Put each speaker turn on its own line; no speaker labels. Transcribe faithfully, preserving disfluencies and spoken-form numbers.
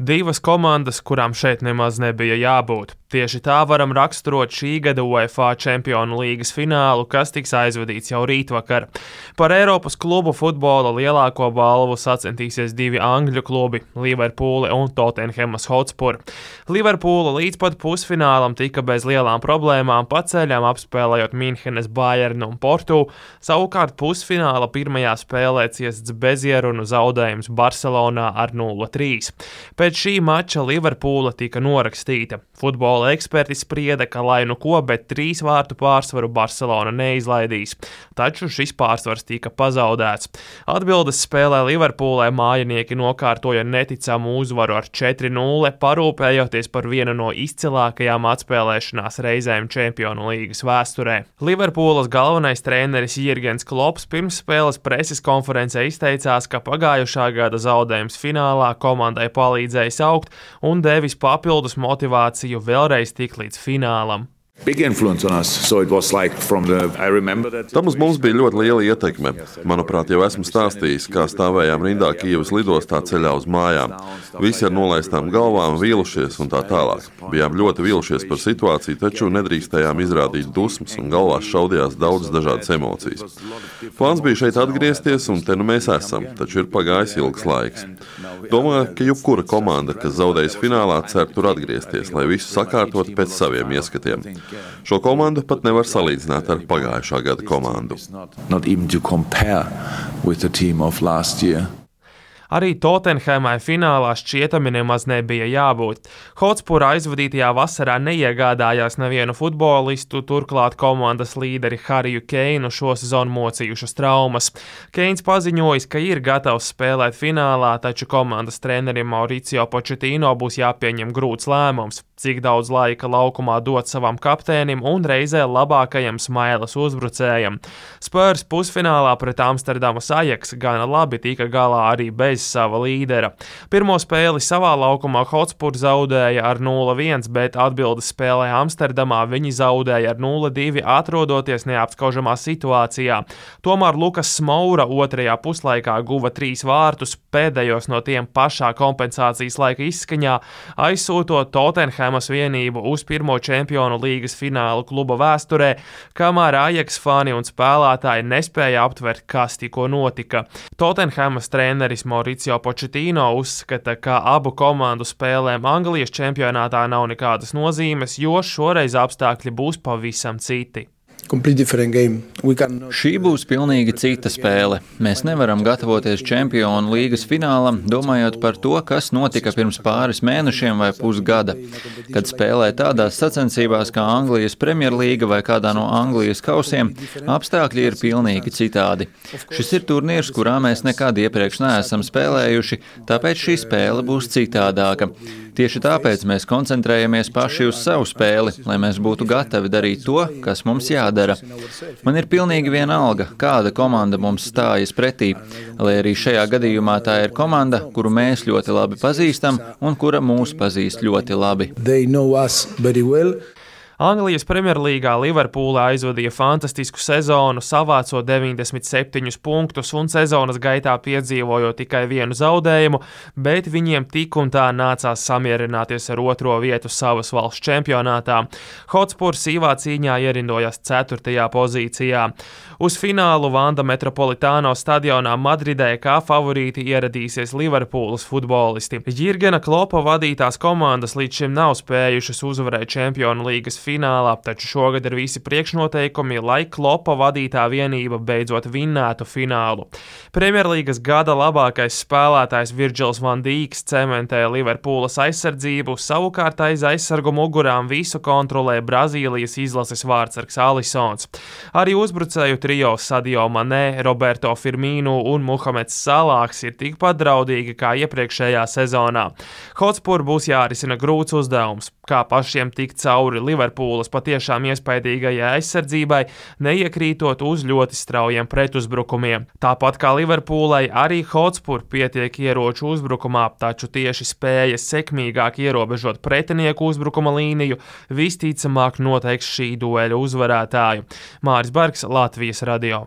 Divas komandas, kurām šeit nemaz nebija jābūt. Tieši tā varam raksturot šī gada UEFA Čempionu līgas finālu, kas tiks aizvadīts jau rītvakar. Par Eiropas klubu futbola lielāko balvu sacentīsies divi angļu klubi – Liverpool un Tottenhamas Hotspur. Liverpoola līdz pat pusfinālam tika bez lielām problēmām pa ceļam apspēlējot Minhenes Bayernu un Portu, savukārt pusfināla pirmajā spēlē ciests bezierunu zaudējums Barcelonā ar nulle trīs. Pēc šī mača Liverpoola tika norakstīta. Futbola eksperti sprieda, ka lai nu ko, bet trīs vārtu pārsvaru Barcelona neizlaidīs. Taču šis pārsvars tika pazaudēts. Atbildes spēlē Liverpoolai mājinieki nokārtoja neticamu uzvaru ar četri nulle, parūpējoties par vienu no izcilākajām atspēlēšanās reizēm Čempionu līgas vēsturē. Liverpoolas galvenais treneris Jurgens Klopps pirms spēles preses konferencē izteicās, ka pagājušā gada zaudējums finālā komandai palīdzējis augt un devis papildus motivāciju vēlreiz tikt līdz finālam.
Tam uz mums bija ļoti liela ietekme. Manuprāt, jau esmu stāstījis, kā stāvējām rindā Kijevas lidostā ceļā uz mājām. Visi ar nolaistām galvām, vīlušies un tā tālāk. Bijām ļoti vīlušies par situāciju, taču nedrīkstējām izrādīt dusmas un galvās šaudījās daudz dažādas emocijas. Plāns bija šeit atgriezties un te nu mēs esam, taču ir pagājis ilgs laiks. Domāju, ka jebkura komanda, kas zaudējas finālā, cer tur atgriezties, lai visu sakārtot pēc saviem ieskatiem. Šo komandu pat nevar salīdzināt ar pagājušā gada komandu.
Arī Tottenhamai finālā šķietami nemaz nebija jābūt. Hotspur aizvadītajā vasarā neiegādājās nevienu futbolistu, turklāt komandas līderi Hariju Keinu šo sezonu mocījušas traumas. Keins paziņojis, ka ir gatavs spēlēt finālā, taču komandas trenerim Mauricio Pochettino būs jāpieņem grūts lēmums, cik daudz laika laukumā dot savam kapteinim un reizē labākajam smailes uzbrucējam. Spurs pusfinālā pret Amsterdamas Ajax gana labi tika galā arī bez sava līdera. Pirmo spēli savā laukumā Hotspur zaudēja ar nulle viens, bet atbildes spēlē Amsterdamā viņi zaudēja ar nulle divi, atrodoties neapskaužamā situācijā. Tomēr Lukas Smoura otrajā puslaikā guva trīs vārtus, pēdējos no tiem pašā kompensācijas laika izskaņā, aizsūtot Tottenhamas vienību uz pirmo Čempionu līgas finālu kluba vēsturē, kamēr Ajax fani un spēlētāji nespēja aptvert, kas tikko notika. Tottenhamas treneris Mauricio Pochettino uzskata, ka abu komandu spēlēm Anglijas čempionātā nav nekādas nozīmes, jo šoreiz apstākļi būs pavisam citi.
Šī būs pilnīgi cita spēle. Mēs nevaram gatavoties Čempionu līgas finālam, domājot par to, kas notika pirms pāris mēnešiem vai pusgada. Kad spēlē tādās sacensībās kā Anglijas Premjerlīga vai kādā no Anglijas kausiem, apstākļi ir pilnīgi citādi. Šis ir turnīrs, kurā mēs nekad iepriekš neesam spēlējuši, tāpēc šī spēle būs citādāka. Tieši tāpēc mēs koncentrējamies paši uz savu spēli, lai mēs būtu gatavi darīt to, kas mums jādara. Man ir pilnīgi vienalga, kāda komanda mums stājas pretī, lai arī šajā gadījumā tā ir komanda, kuru mēs ļoti labi pazīstam un kura mūs pazīst ļoti labi.
Anglijas Premjerlīgā Liverpoola aizvadīja fantastisku sezonu, savācot deviņdesmit septiņus punktus un sezonas gaitā piedzīvojot tikai vienu zaudējumu, bet viņiem tik un tā nācās samierināties ar otro vietu savas valsts čempionātā. Hotspur sīvā cīņā ierindojas ceturtajā pozīcijā. Uz finālu Vanda Metropolitāno stadionā Madridē kā favorīti ieradīsies Liverpoolas futbolisti. Jurgena Kloppa vadītās komandas līdz šim nav spējušas uzvarēt Čempionu līgas finālā, taču šogad ir visi priekšnoteikumi, lai Kloppa vadītā vienība beidzot vinnētu finālu. Premjerlīgas gada labākais spēlētājs Virgils van Dijks cementē Liverpoolas aizsardzību, savukārt aiz aizsargu mugurām visu kontrolē Brazīlijas izlases vārdsargs Alisons. Arī uzbrucēju trio Sadio Mané, Roberto Firmino un Muhameds Salahs ir tikpat draudīgi kā iepriekšējā sezonā. Hotspur būs jārisina grūts uzdevums, kā pašiem tikt cauri Liverpoolas patiešām iespaidīgajai aizsardzībai, neiekrītot uz ļoti straujiem pretuzbrukumiem. Tāpat kā Liverpoolai, arī Hotspur pietiek ieroču uzbrukumā, taču tieši spēja sekmīgāk ierobežot pretinieku uzbrukuma līniju visticamāk noteiks šī dueļa uzvarētāju. Māris Bergs, Latvijas radio.